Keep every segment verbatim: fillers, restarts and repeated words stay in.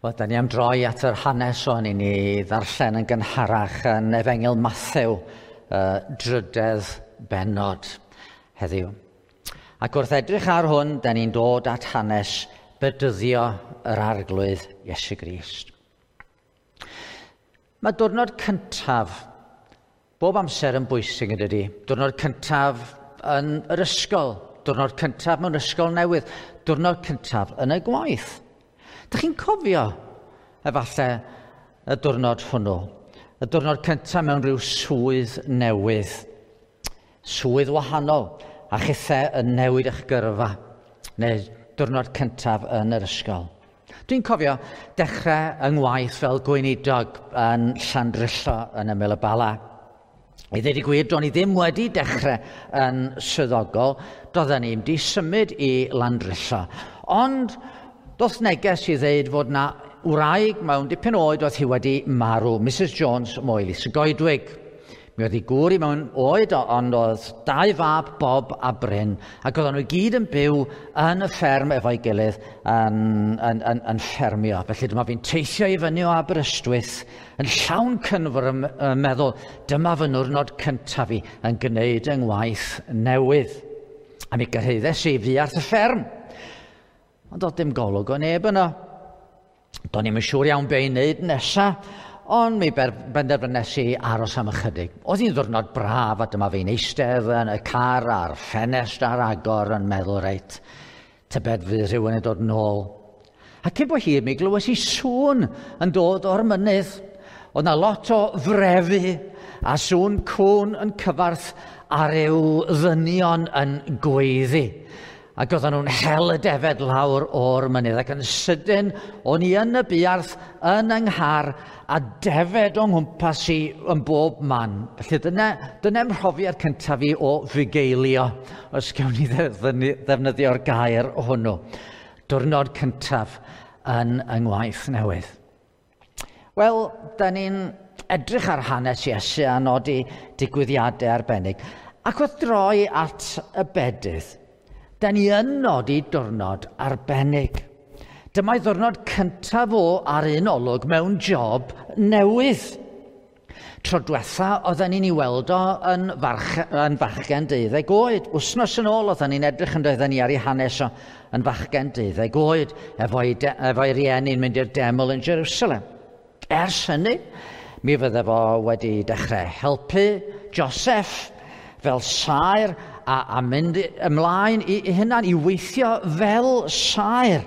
Wel, da ni am droi at yr hanes o'n i ni ddarllen yn gynharach yn Efengyl Mathew, uh, drydedd bennod heddiw. Ac wrth edrych ar hwn, da ni'n dod at hanes bedyddio yr Arglwydd Iesu Grist. Mae diwrnod cyntaf bob amser yn bwysig yn dydi. Diwrnod cyntaf yn yr ysgol, diwrnod cyntaf mewn ysgol newydd, diwrnod cyntaf yn y gwaith. Dych chi'n cofio efallai y diwrnod hwnnw? Y diwrnod cyntaf mewn rhyw swydd newydd, swydd wahanol, a chithau yn newid eich gyrfa, neu diwrnod cyntaf yn yr ysgol. Dwi'n cofio dechrau yng ngwaith fel gweinidog yn Llandrillo yn ymyl y Bala. I ddweud y gwir, do'n i ddim wedi dechrau yn swyddogol, doedden ni'm di symud i Landrillo. Ond doth neges i ddeud fod na wraig mewn dipyn oed oedd hi wedi marw, Missus Jones Moelis y Goedwig. Mi oedd hi gŵr i mewn oed, ond oedd dau fab, Bob a Bryn, ac oedden nhw i gyd yn byw yn y fferm efo'i gilydd yn, yn, yn, yn ffermio. Felly dyma fi'n teithio i fyny o Aberystwyth yn llawn cynfwr yn meddwl, dyma fy niwrnod cyntaf fi yn gwneud yng ngwaith newydd. A mi gyrhaeddes i fuarth y fferm. Ond oedd dim golwg o neb yno. Do'n i'm yn siŵr iawn be i wneud nesa, ond mi benderfynes i aros am ychydig. Oedd hi'n ddiwrnod braf a dyma fi'n eistedd yn y car a'r ffenest ar agor yn meddwl, reit, tybed fydd rhywun yn dod nôl. A cyn bo hir mi glywes i sŵn yn dod o'r mynydd. Oedd 'na lot o frefu a sŵn cŵn yn cyfarth a ryw ddynion yn gweiddi. Ac oedden nhw'n hel y defed lawr o'r mynydd. Ac yn sydyn, o'n i yn y buarth, yn yng nghar, a defed o'n nghwmpas i yn bob man. Felly dyna, dyna mhrofiad cyntaf fi o fugeilio, os gawn ni ddefnyddio'r gair hwnnw. Diwrnod cyntaf yn yng ngwaith newydd. Wel, da ni'n edrych ar hanes Iesu a nodi digwyddiadau arbennig. Ac wrth droi at y bedydd, da ni yn nodi diwrnod arbennig. Dyma'i ddiwrnod cyntaf o ar un olwg mewn job newydd. Tro diwetha oedden ni'n ei weld o yn, farch, yn fachgen deuddeg oed. Wsnos yn ôl oedden ni'n edrych yn doedden ni ar ei hanes o yn fachgen deuddeg oed, efo'i, de, efo'i rieni'n mynd i'r deml yn Jerusalem. Ers hynny, mi fydde fo wedi dechrau helpu Joseph fel saer a, a mynd ymlaen i, i hunan, i weithio fel saer.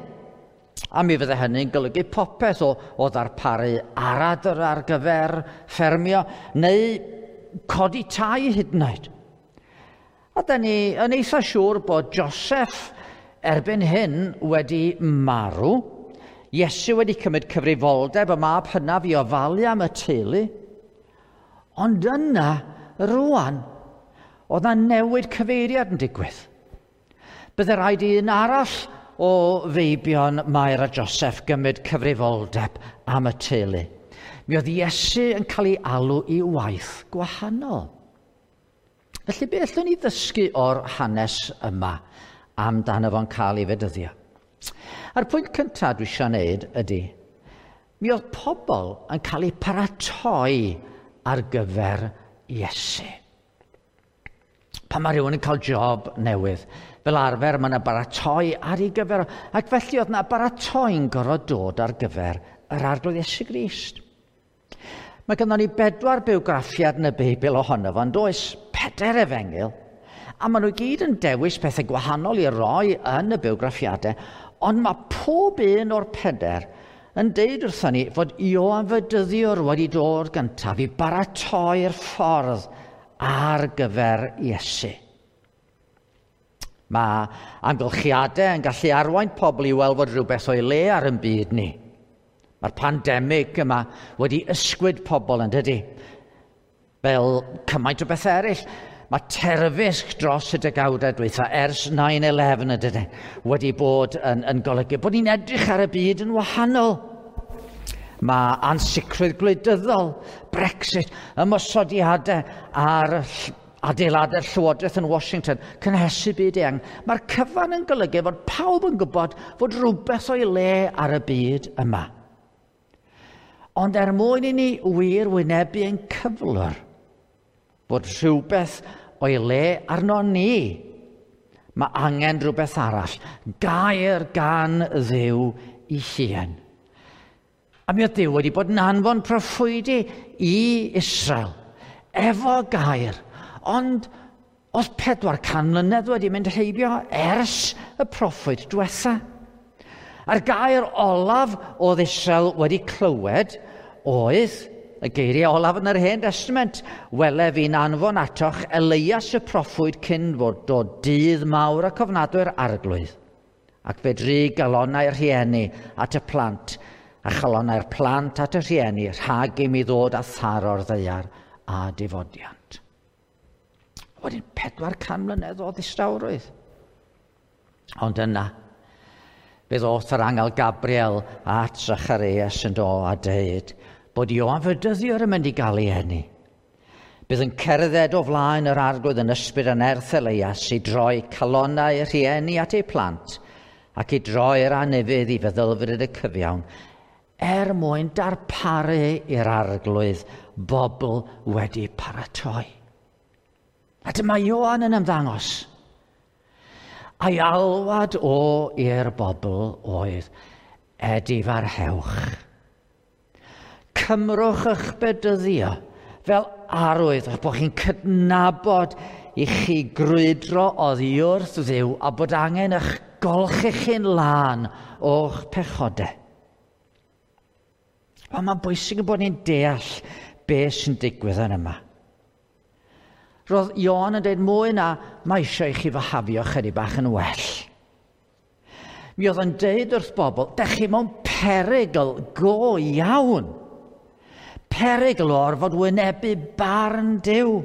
A mi fydde hynny'n golygu popeth o, o ddarparu aradr ar gyfer ffermio neu codi tai hyd yn oed. A da ni yn eitha siŵr bod Joseph erbyn hyn wedi marw. Iesu wedi cymryd cyfrifoldeb y mab hynaf i ofalu am y teulu. Ond yna, rwan, oedd 'na newid cyfeiriad yn digwydd. Bydde rhaid i un arall o feibion Mair a Joseph gymryd cyfrifoldeb am y teulu. Mi oedd Iesu yn cael ei alw i waith gwahanol. Felly be allwn ni ddysgu o'r hanes yma amdano fo'n cael ei fedyddio? A'r pwynt cyntaf dwi eisiau wneud ydy, mi oedd pobl yn cael eu paratoi ar gyfer Iesu. Pan mae rhywun yn cael job newydd, fel arfer mae yna baratoi ar ei gyfer, ac felly oedd yna baratoi'n gorfod dod ar gyfer yr Arglwydd Iesu Grist. Mae gynnon ni bedwar bywgraffiad yn y Beibl ohono fo, ond oes pedair efengyl, a maen nhw gyd yn dewis pethau gwahanol i roi yn y bywgraffiadau, ond mae pob un o'r pedair yn deud wrthon ni fod Ioan Fedyddiwr wedi dod gyntaf i baratoi'r ffordd ar gyfer Iesu. Mae amgylchiadau yn gallu arwain pobl i weld fod rhywbeth o'i le ar yn byd ni. Mae'r pandemig yma wedi ysgwyd pobl yn dydi. Fel cymaint o bethau eraill, mae terfysg dros y degawdau dwytha ers nine eleven yn dydi, wedi bod yn, yn golygu bod ni'n edrych ar y byd yn wahanol. Mae ansicrwydd gwleidyddol, Brexit, ymosodiadau ar adeiladau'r Llywodraeth yn Washington, cynhesu byd eang. Mae'r cyfan yn golygu fod pawb yn gwybod fod rhywbeth o'i le ar y byd yma. Ond er mwyn i ni wir wynebu ein cyflwr, bod rhywbeth o'i le arno ni, mae angen rhywbeth arall, gair gan Dduw ei hun. A mi oedd Duw wedi bod yn anfon proffwydi i Israel, efo gair, ond oedd pedwar can mlynedd wedi mynd heibio ers y proffwyd diwetha. A'r gair olaf oedd Israel wedi clywed oedd y geiriau olaf yn yr Hen Testament. Wele fi'n anfon atoch Elias y proffwyd cyn fod dod dydd mawr ac ofnadwy'r Arglwydd. Ac fe dry galonnau'r rhieni at y plant, a chalonnau'r plant at y rhieni, rhag i mi ddod a tharo'r ddaear a difodiant. Wedyn pedwar can mlynedd o ddistawrwydd. Ond yna, fe ddoth yr angel Gabriel at Zacharias yn do a deud bod Ioan Fedyddiwr yn mynd i gael ei eni. Bydd yn cerdded o flaen yr Arglwydd yn ysbryd a nerth Elias i droi calonnau y rhieni at eu plant ac i droi'r anufudd i feddylfryd y cyfiawn, er mwyn darparu i'r Arglwydd bobl wedi paratoi. A dyma Ioan yn ymddangos. A'i alwad o i'r bobl oedd edifarhewch. Cymrwch eich bedyddio fel arwydd eich bod chi'n cydnabod i chi grwydro oddi wrth Dduw a bod angen eich golchi chi'n lân o'ch pechodau. Ond mae'n bwysig bod ni'n deall beth sy'n digwydd yn yma. Roedd Ioan yn dweud mwy na mae eisiau i chi fyhafio chydig bach yn well. Mi oedd yn deud wrth bobl, dech chi mewn perygl go iawn. Perygl o orfod wynebu barn Duw.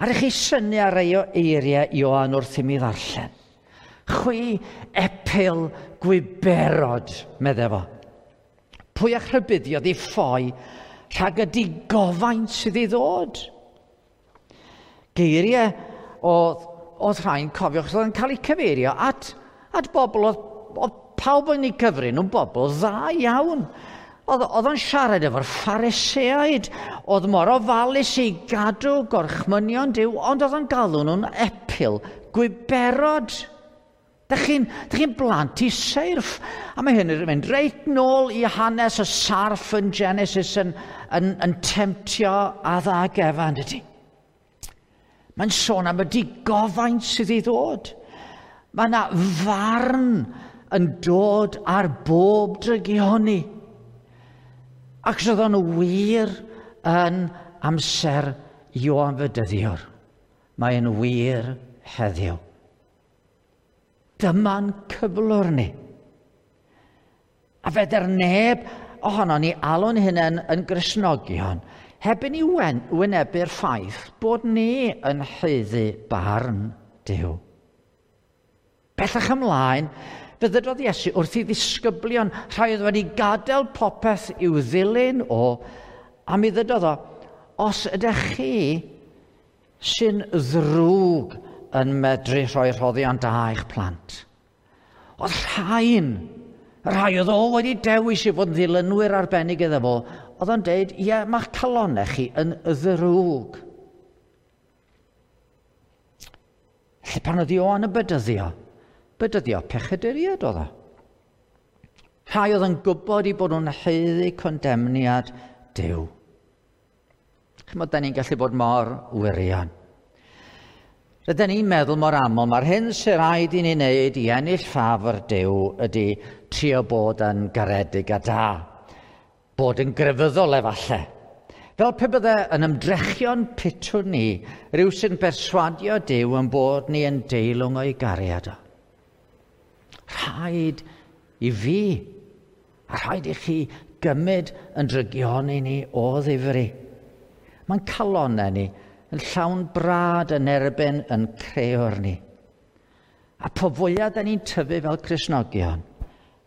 A rydych chi synnu ar rei o eiriau Ioan wrth i mi ddarllen. Chwi epil gwiberod, medde fo. Pwy a'ch rhybuddiodd i ffoi rhag y digofaint sydd i ddod? Geiriau oedd, oedd rhai'n cofio, oedd yn cael eu cyfeirio at, at bobl, oedd, oedd pawb yn eu cyfri nhw'n bobl dda iawn. Oedd, oedd o'n siarad efo'r Phariseaid, oedd mor ofalus i gadw gorchmynion Duw, ond oedd o'n galw nhw'n epil, gwiberod. Dych chi'n chi blant i seirff. A mae hyn yn mynd reit nôl i hanes y sarff yn Genesis yn, yn, yn temtio Adda ac Efa, ydy. Mae'n sôn am y digofaint sydd i ddod. Mae yna farn yn dod ar bob drygioni. Ac oedd o'n wir yn amser Ioan Fedyddiwr. Mae'n wir heddiw. Dyma'n cyflwr ni. A fedr neb ohono ni alw'n hunain yn Gristnogion heb i ni wynebu'r ffaith bod ni yn haeddu barn Duw. Bellach ymlaen, fe ddydodd Iesu wrth i ddisgyblion, rhai oedd wedi gadael popeth i'w ddilyn o, a mi ddydodd o, os ydych chi sy'n ddrwg yn medru rhoi rhoddion da i'ch plant. Oedd rhain, rhai oedd o wedi dewis i fod yn ddilynwyr arbennig iddo fo, oedd o'n deud, ie, mae'ch calonnau chi yn ddrwg. Felly pan oedd Ioan yn bedyddio, bedyddio pechaduriaid oedd o. Rhai oedd yn gwybod i bod nhw'n haeddu condemniad Duw. Chymod, da ni'n gallu bod mor wirion. Rydyn ni'n meddwl mor aml, mae'r hyn sy'n rhaid i ni wneud i ennill ffafr Duw ydy trio bod yn garedig a da. Bod yn grefyddol efallai. Fel pe bydde yn ymdrechion pitw ni, rhyw sy'n berswadio Duw yn bod ni yn deilwng o'i gariad o. Rhaid i fi, a rhaid i chi gymryd yn drygioni ni o ddifri. Mae'n calonnau ni yn llawn brad yn erbyn yn creuwr ni. A po fwyaf da ni'n tyfu fel Cristnogion,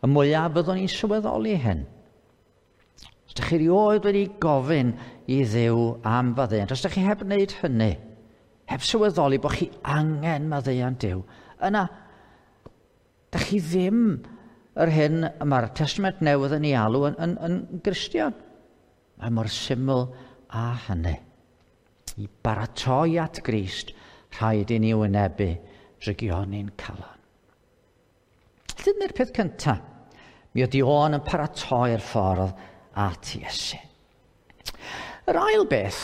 y mwyaf fyddwn ni'n sylweddoli hyn. Os ydych chi erioed wedi gofyn i Dduw am faddeuant, os ydych chi heb wneud hynny, heb sylweddoli bod chi angen maddeuant Duw, yna, ydych chi ddim yr hyn mae'r Testament Newydd yn ei alw yn, yn, yn Gristion. Mae mor syml â hynny. I baratoi at Grist, rhaid i ni wynebu drygioni'n calon. Dyna'r peth cyntaf. Mi oedd Ioan yn paratoi'r ffordd at Iesu. Yr ail beth,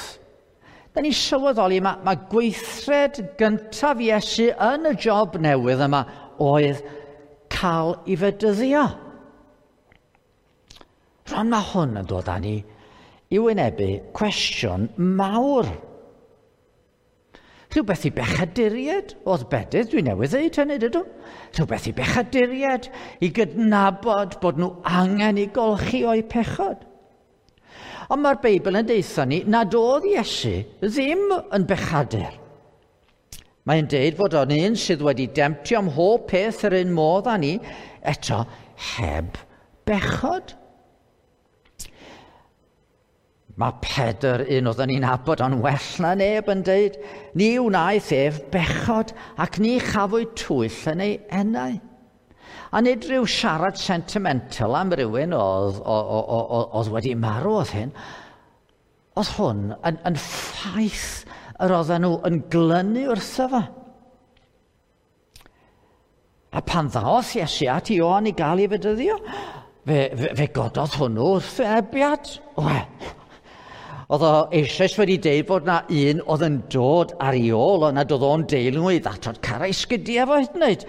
da ni'n sylweddoli mae, mae gweithred gyntaf Iesu yn y job newydd yma oedd cael ei fedyddio. Rwan mae hwn yn dod â ni i wynebu cwestiwn mawr. Rhywbeth i bechaduriaid oedd bedydd, dwi newydd ddeud hynny, dydw? Rhywbeth i bechaduriaid i gydnabod bod nhw angen i golchi o'u pechod. Ond mae'r Beibl yn deutha ni nad oedd Iesu ddim yn bechadur. Mae'n deud fod o'n un sydd wedi demtio am mhob peth yr un modd â ni, eto heb bechod. Mae Pedr, un oedden ni'n nabod o'n well na neb, yn deud, ni wnaeth ef bechod ac ni chafwyd twyll yn ei enau. A nid rhyw siarad sentimental am rywun oedd, oedd wedi marw oedd hyn. Oedd hwn yn, yn ffaith yr oedden nhw yn glynu wrtho fo. A pan ddaoth Iesu at Ioan i gael ei fedyddio, fe, fe, fe gododd hwnnw wrth ebiad. Wel, oedd o eisoes wedi deud bod na un oedd yn dod ar ei ôl, ond nad oedd o'n deilwng i ddatod cara i sgidiau fo hyd yn oed.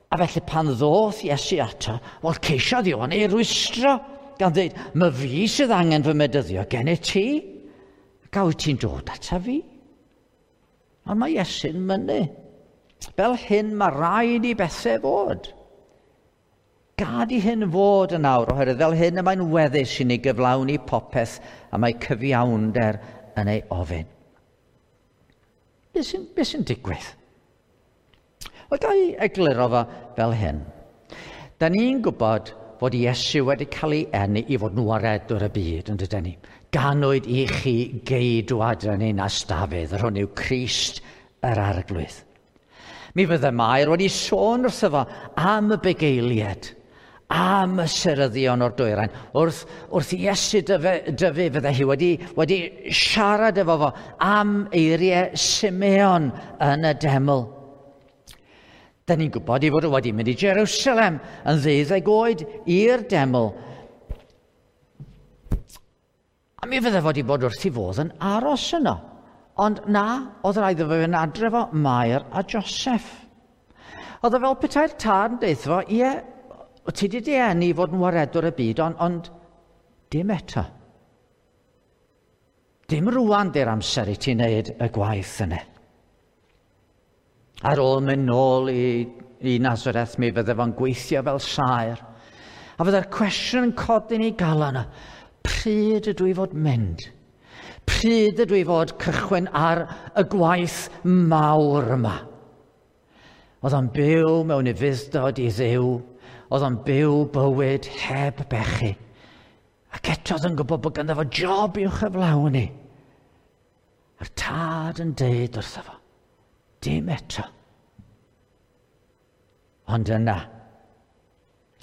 A felly pan ddoth Iesu ato, wel ceisiodd Ioan ei rwystro, gan ddeud, "Ma fi sydd angen fy medyddio gen i ti, ac a wyt ti'n dod ata fi?" Ond mae Iesu'n mynnu. Fel hyn mae rhaid i bethau fod. Gad i hyn fod yn awr, oherwydd fel hyn y mae'n weddus i ni gyflawni popeth a mae cyfiawnder yn ei ofyn. Be sy'n, be sy'n digwydd? Wel, ga i egluro fo fel hyn. Da ni'n gwybod fod Iesu wedi cael ei eni i fod yn waredwr y byd, yn dydyn ni. Ganwyd i chi geidwad yn ninas Dafydd, yr hwn yw Crist yr Arglwydd. Mi fydde Mair wedi sôn wrtho fo am y bugeiliaid, am y seryddion o'r dwyrain. Wrth, wrth Iesu dyfu, dyfu fydde hi wedi, wedi siarad efo fo am eiriau Simeon yn y deml. Da ni'n gwybod ei fod o wedi mynd i Jerusalem yn ddeuddeg oed i'r deml. A mi fydde fod i bod wrth ei fodd yn aros yno. Ond na, oedd rhaid iddo fe fynd adre fo Mair a Joseph. Oedd o fel petai'r tad yn deutha fo, ie, ti wedi dy eni i fod yn waredwr y byd, ond, ond dim eto. Dim rwan di'r amser i ti wneud y gwaith yna. Ar ôl mynd nôl i, i Nazareth, mi fydde fo'n gweithio fel saer. A fydde'r cwestiwn yn codi yn ei galon, pryd ydw i fod mynd? Pryd ydw i fod cychwyn ar y gwaith mawr yma? Oedd o'n byw mewn ufudd-dod i Dduw. Oedd o'n byw bywyd heb bechu. Ac eto oedd yn gwybod bod ganddo fo job i'w chyflawni. A'r tad yn deud wrtho fo, dim eto. Ond yna,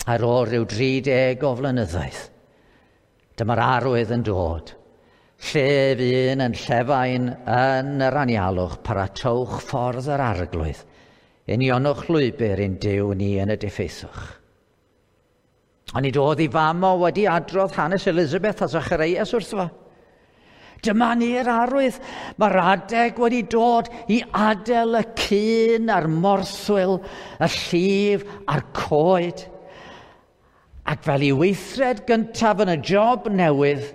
ar ôl rhyw dri deg o flynyddoedd, dyma'r arwydd yn dod. Llef un yn llefain yn yr anialwch, paratowch ffordd yr Arglwydd. Unionwch lwybr i'n Duw ni yn y diffeithwch. Ond nid oedd ei fam o wedi adrodd hanes Elizabeth a Zacharias wrtho fo. Dyma ni'r arwydd. Mae'r adeg wedi dod i adael y cyn a'r morthwyl, y llif a'r coed. Ac fel i weithred gyntaf yn y job newydd,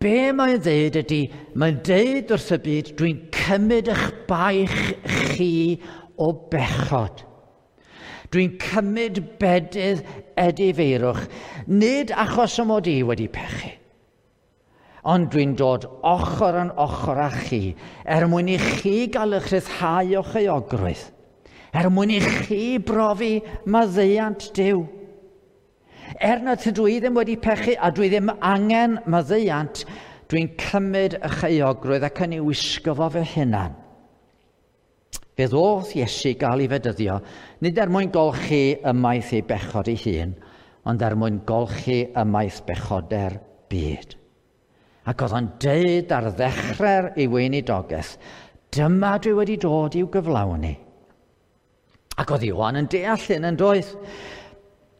be mae'n ddeud ydy, mae'n deud wrth y byd, dwi'n cymryd eich baich chi o bechod. Dwi'n cymryd bedydd edifeirwch, nid achos y mod i wedi pechu, ond dwi'n dod ochr yn ochr â chi, er mwyn i chi gael eich rhyddhau o'ch euogrwydd, er mwyn i chi brofi maddeuant Duw. Er na tydw i ddim wedi pechu a dwi ddim angen maddeuant, dwi'n cymryd eich euogrwydd ac yn ei wisgo fo fy hunan. Fe ddoth Iesu gael ei fedyddio, nid er mwyn golchi ymaith ei bechod ei hun, ond er mwyn golchi ymaith bechoder byd. Ac oedd o'n deud ar ddechrau'r ei weinidogaeth, dyma dwi wedi dod i'w gyflawni. Ac oedd Ioan yn deall hyn yn doedd.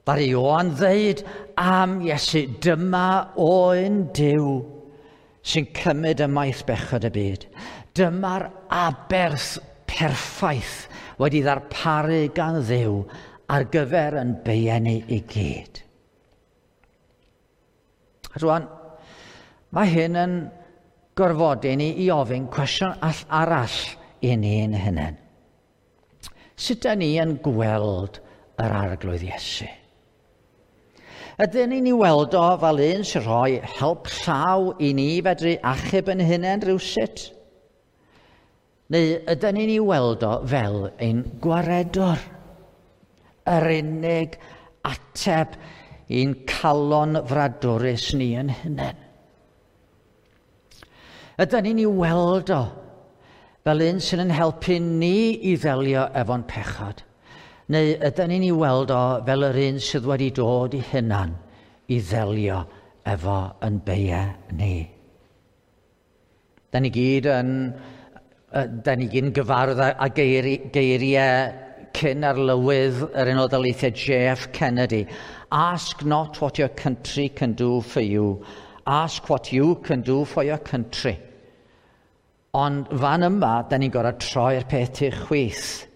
Ddaru Ioan ddeud am Iesu, dyma oen Duw sy'n cymryd ymaith bechod y byd. Dyma'r aberth perffaith wedi ddarparu gan Dduw ar gyfer yn beiau i gyd. A rwan, mae hyn yn gorfodi ni i ofyn cwestiwn arall i ni'n hunain. Sut da ni yn gweld yr Arglwydd Iesu? Ydyn ni'n ei weld o fel un sy'n rhoi help llaw i ni fedru achub yn hunain rhywsut? Neu ydyn ni'n ei weld o fel ein gwaredwr? Yr unig ateb i'n calon fradwrus ni yn hunain. Ydyn ni'n ei weld o fel un sy'n yn helpu ni i ddelio efo'n pechod? Neu ydyn ni'n ei weld o fel yr un sydd wedi dod i hunan i ddelio efo yn beiau ni? Da ni gyd yn, da ni gyd yn gyfarwydd â geiriau cyn arlywydd yr Unol Daleithiau J F Kennedy. Ask not what your country can do for you. Ask what you can do for your country. Ond fan yma, da ni'n gorfod troi'r peth i'r chwith.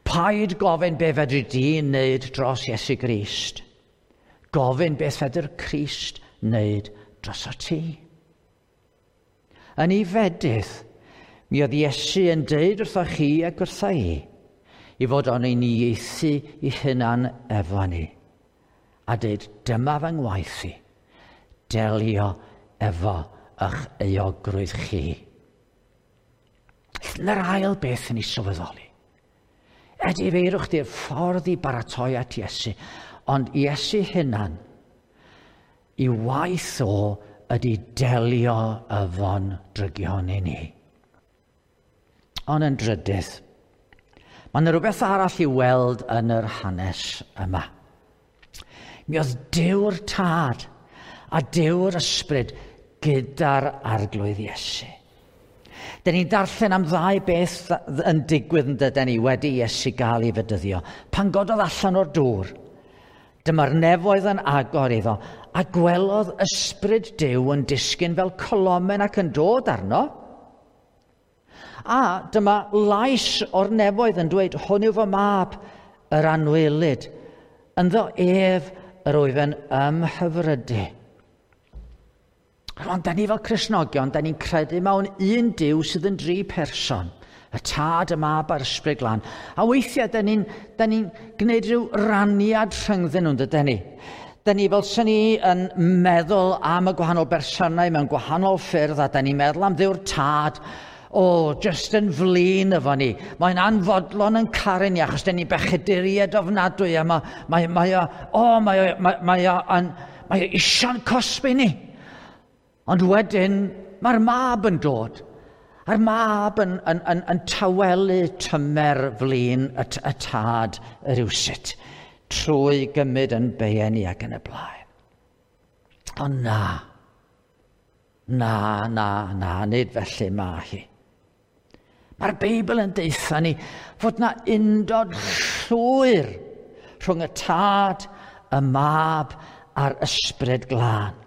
Paid gofyn be fedri di wneud dros Iesu Grist. Gofyn beth fedr Crist wneud dros o ti. Yn ei fedydd, mi oedd Iesu yn deud wrtho chi ac wrtha i, i fod o'n ei nieithu i hunan efo ni. A deud, dyma fy ngwaith i, delio efo eich euogrwydd chi. Dyna'r ail beth yn ei sylweddoli. Edifeirwch di'r ffordd i baratoi at Iesu, ond Iesu hunan, i waith o ydy delio efo'n drygion i ni. Ond yn drydydd, mae yna rhywbeth arall i weld yn yr hanes yma. Mi oedd Duw'r Tad a Duw'r Ysbryd gyda'r Arglwydd Iesu. Dyn ni'n darllen am ddau beth yn digwydd yn dydyn ni wedi Iesu gael ei fedyddio. Pan gododd allan o'r dŵr, dyma'r nefoedd yn agor iddo, a gwelodd ysbryd Duw yn disgyn fel colomen ac yn dod arno. A dyma lais o'r nefoedd yn dweud, hwn yw fy mab, yr anwylyd. Ynddo ef yr wyf yn ymhyfrydu. Rwan, da ni fel Cristnogion, da ni'n credu mewn un Duw sydd yn dri person. Y Tad, y Mab a'r Ysbryd Glân. A weithiau, da ni'n ni gwneud rhyw raniad rhyngddyn nhw'n dydyn ni. Da ni fel sy'n ni yn meddwl am y gwahanol bersonau mewn gwahanol ffyrdd, a da ni'n meddwl am Dduw'r Tad, o, oh, just yn flin efo ni. Mae'n anfodlon yn caru ni, achos da ni'n bechaduriaid ofnadwy, a mae, mae, mae o, oh, mae o, mae, mae o, yn, mae o isio'n cosbi ni. Ond wedyn, mae'r mab yn dod. A'r mab yn, yn, yn, yn tawelu tymer flin y, y tad rywsut, trwy gymryd yn beiau ni ac yn y blaen. Ond na, na, na, na, nid felly mae hi. Mae'r Beibl yn deutha ni fod na undod llwyr rhwng y Tad, y Mab a'r Ysbryd Glân.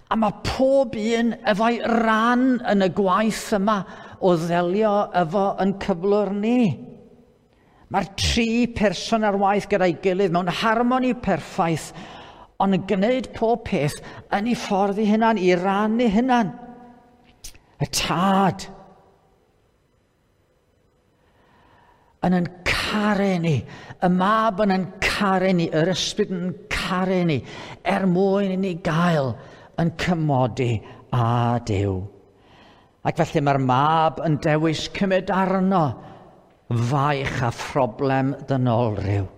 A mae pob un efo'i ran yn y gwaith yma o ddelio efo yn cyflwr ni. Mae'r tri person ar waith gyda'i gilydd mewn harmoni perffaith, ond yn gwneud pob peth yn ei ffordd ei hunan, i ran ei hunan. Y Tad yn yn caru ni, y Mab yn yn caru ni, yr Ysbryd yn caru ni, er mwyn i ni gael yn cymodi â Duw. Ac felly mae'r Mab yn dewis cymryd arno faich a phroblem ddynolryw.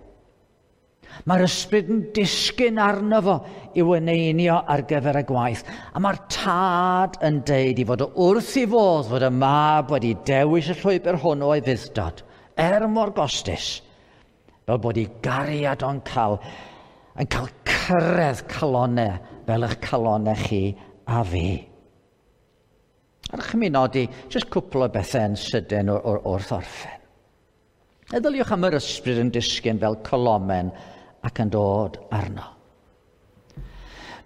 Mae'r Ysbryd yn disgyn arno fo i'w eneinio ar gyfer y gwaith. A mae'r Tad yn deud i fod o wrth i fodd fod y Mab wedi dewis y llwybr hwn o'i fudd-dod, er mor gostus, fel bod ei gariad o'n cael yn cael cyrraedd calonau fel eich calonau chi a fi. A rydych chi'n nodi jyst cwpl o bethau yn sydyn o'r, or, wrth orffen. Meddyliwch am yr ysbryd yn disgyn fel colomen ac yn dod arno.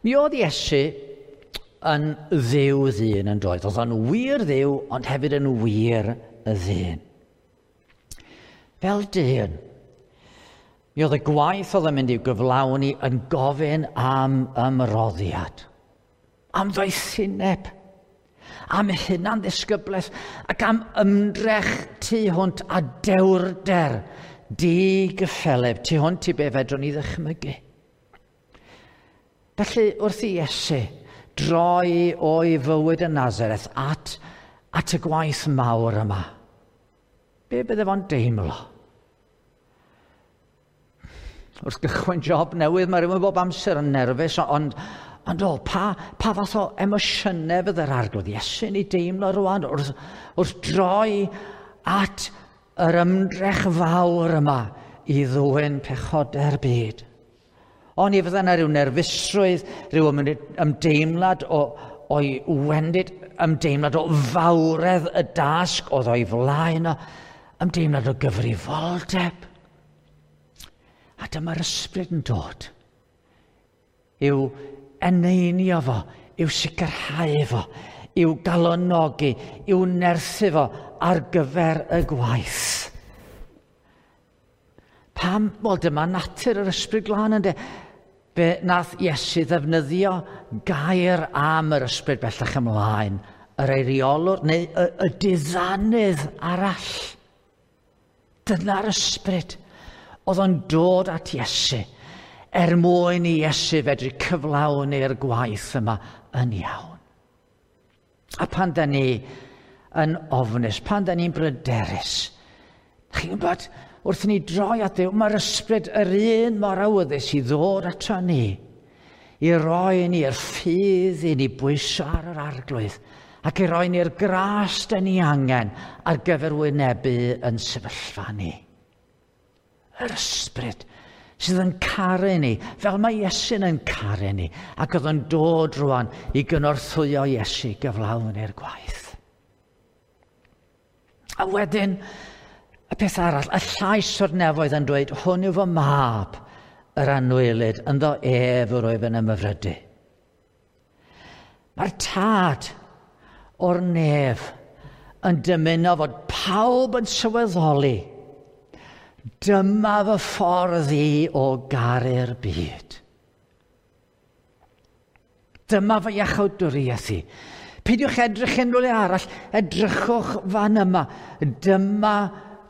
Mi oedd Iesu yn ddiw ddyn yn doedd. Oedd o'n wir ddiw, ond hefyd yn wir y ddyn. Fel dyn, mi oedd y gwaith oedd yn mynd i'w gyflawni yn gofyn am ymroddiad, am ddoethineb, am hunan ddisgyblaeth ac am ymdrech tu hwnt a dewrder digyffeleb tu hwnt i be fedrwn ni ddychmygu. Felly wrth i Iesu droi o'i fywyd yn Nazareth at, at y gwaith mawr yma, be bydde fo'n deimlo? Wrth gychwyn job newydd, mae rhywun bob amser yn nerfus, ond, ond o, pa, pa fath o emosiynau fydde'r Arglwydd Iesu'n ei deimlo rwan wrth, wrth droi at yr ymdrech fawr yma i ddwyn pechodau'r byd. Ond i fydde yna rhyw nerfusrwydd, rhyw ymdeimlad o, o'i wendid, ymdeimlad o fawredd y dasg oedd o'i flaen o, ymdeimlad o gyfrifoldeb. A dyma'r ysbryd yn dod i'w eneinio fo, i'w sicrhau fo, i'w galonogi, i'w nerthu fo ar gyfer y gwaith. Pam? Wel, dyma natur yr ysbryd glân ynde. Be nath Iesu ddefnyddio gair am yr ysbryd bellach ymlaen, yr eiriolwr neu y, y diddanydd arall. Dyna'r ysbryd oedd o'n dod at Iesu er mwyn i Iesu fedru cyflawni'r gwaith yma yn iawn. A pan da ni yn ofnus, pan da ni'n bryderus, chi'n gwybod, wrth i ni droi at Dduw, mae'r ysbryd yr un mor awyddus i ddod ato ni, i roi ni'r ffydd i ni bwyso ar yr Arglwydd, ac i roi ni'r gras da ni angen ar gyfer wynebu yn sefyllfa ni. Yr ysbryd sydd yn caru ni, fel mae Iesu'n yn caru ni, ac oedd yn dod rwan i gynorthwyo Iesu gyflawni'r gwaith. A wedyn, y peth arall, y llais o'r nefoedd yn dweud, hwn yw fy mab, yr anwylyd, ynddo ef yr wyf yn ymhyfrydu. Mae'r tad o'r nef yn dymuno fod pawb yn sylweddoli, dyma fy ffordd i o garu'r byd. Dyma fy iachawdwriaeth i. Peidiwch edrych unrhyw le arall, edrychwch fan yma. Dyma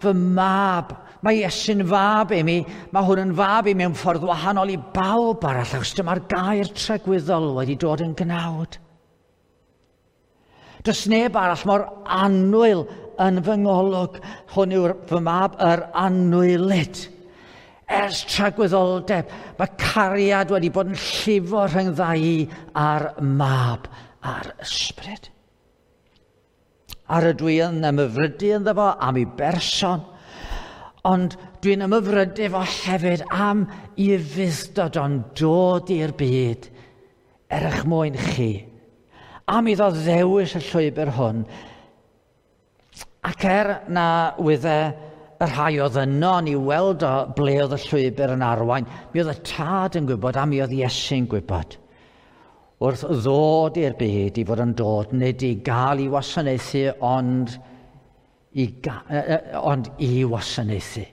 fy mab. Mae Iesu'n fab i mi, mae hwn yn fab i mi mewn ffordd wahanol i bawb arall, achos dyma'r gair tragwyddol wedi dod yn gnawd. Does neb arall mor annwyl yn fy ngolwg. Hwn yw'r fy mab, yr anwylyd. Ers tragwyddoldeb, mae cariad wedi bod yn llifo rhyngdda i a'r mab a'r ysbryd. Ar ydw i yn ymhyfrydu ynddo fo am ei berson, ond dwi'n ymhyfrydu fo hefyd am i ufudd-dod o'n dod i'r byd er eich mwyn chi, am iddo ddewis y llwybr hwn. Ac er na wydde y rhai oedd yno ni weld o ble oedd y llwybr yn arwain, mi oedd y tad yn gwybod a mi oedd Iesu'n gwybod. Wrth ddod i'r byd i fod yn dod, nid i gael i wasanaethu, ond i, ond i wasanaethu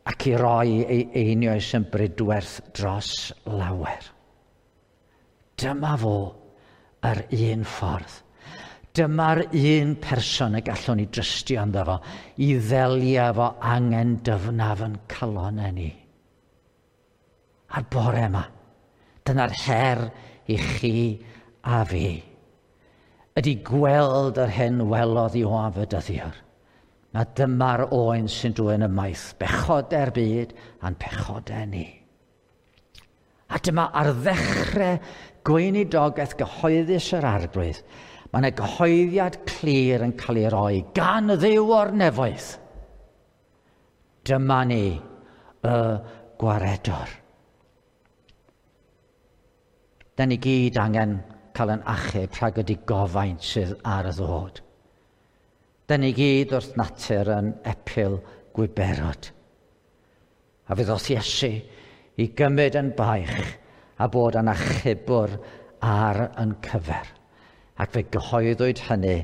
ac i roi ei einioes yn brydwerth dros lawer. Dyma fo yr un ffordd. Dyma'r un person y gallwn ni drystio ynddo fo, i ddelio efo angen dyfnaf yn calonau ni. A'r bore yma, dyna'r her i chi a fi, ydy gweld yr hyn welodd Ioan Fedyddiwr. Na dyma'r oen sy'n dwyn ymaith bechodau'r byd a'n pechodau ni. A dyma ar ddechrau gweinidogaeth gyhoeddus yr Arglwydd, mae yna gyhoeddiad clir yn cael ei roi gan y Dduw o'r nefoedd. Dyma ni, y gwaredwr. Da ni gyd angen cael yn achub rhag y digofaint sydd ar y ddod. Da ni gyd wrth natur yn epil gwiberod. A fe ddoth Iesu i gymryd yn baich a bod yn achubwr ar yn cyfer. Ac fe gyhoeddwyd hynny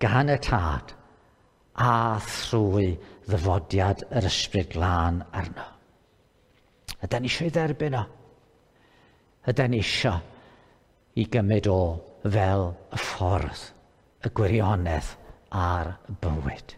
gan y Tad a thrwy ddyfodiad yr Ysbryd Glân arno. Ydy ni eisiau ei dderbyn o? Ydy ni eisiau i gymryd o fel y ffordd, y gwirionedd a'r bywyd?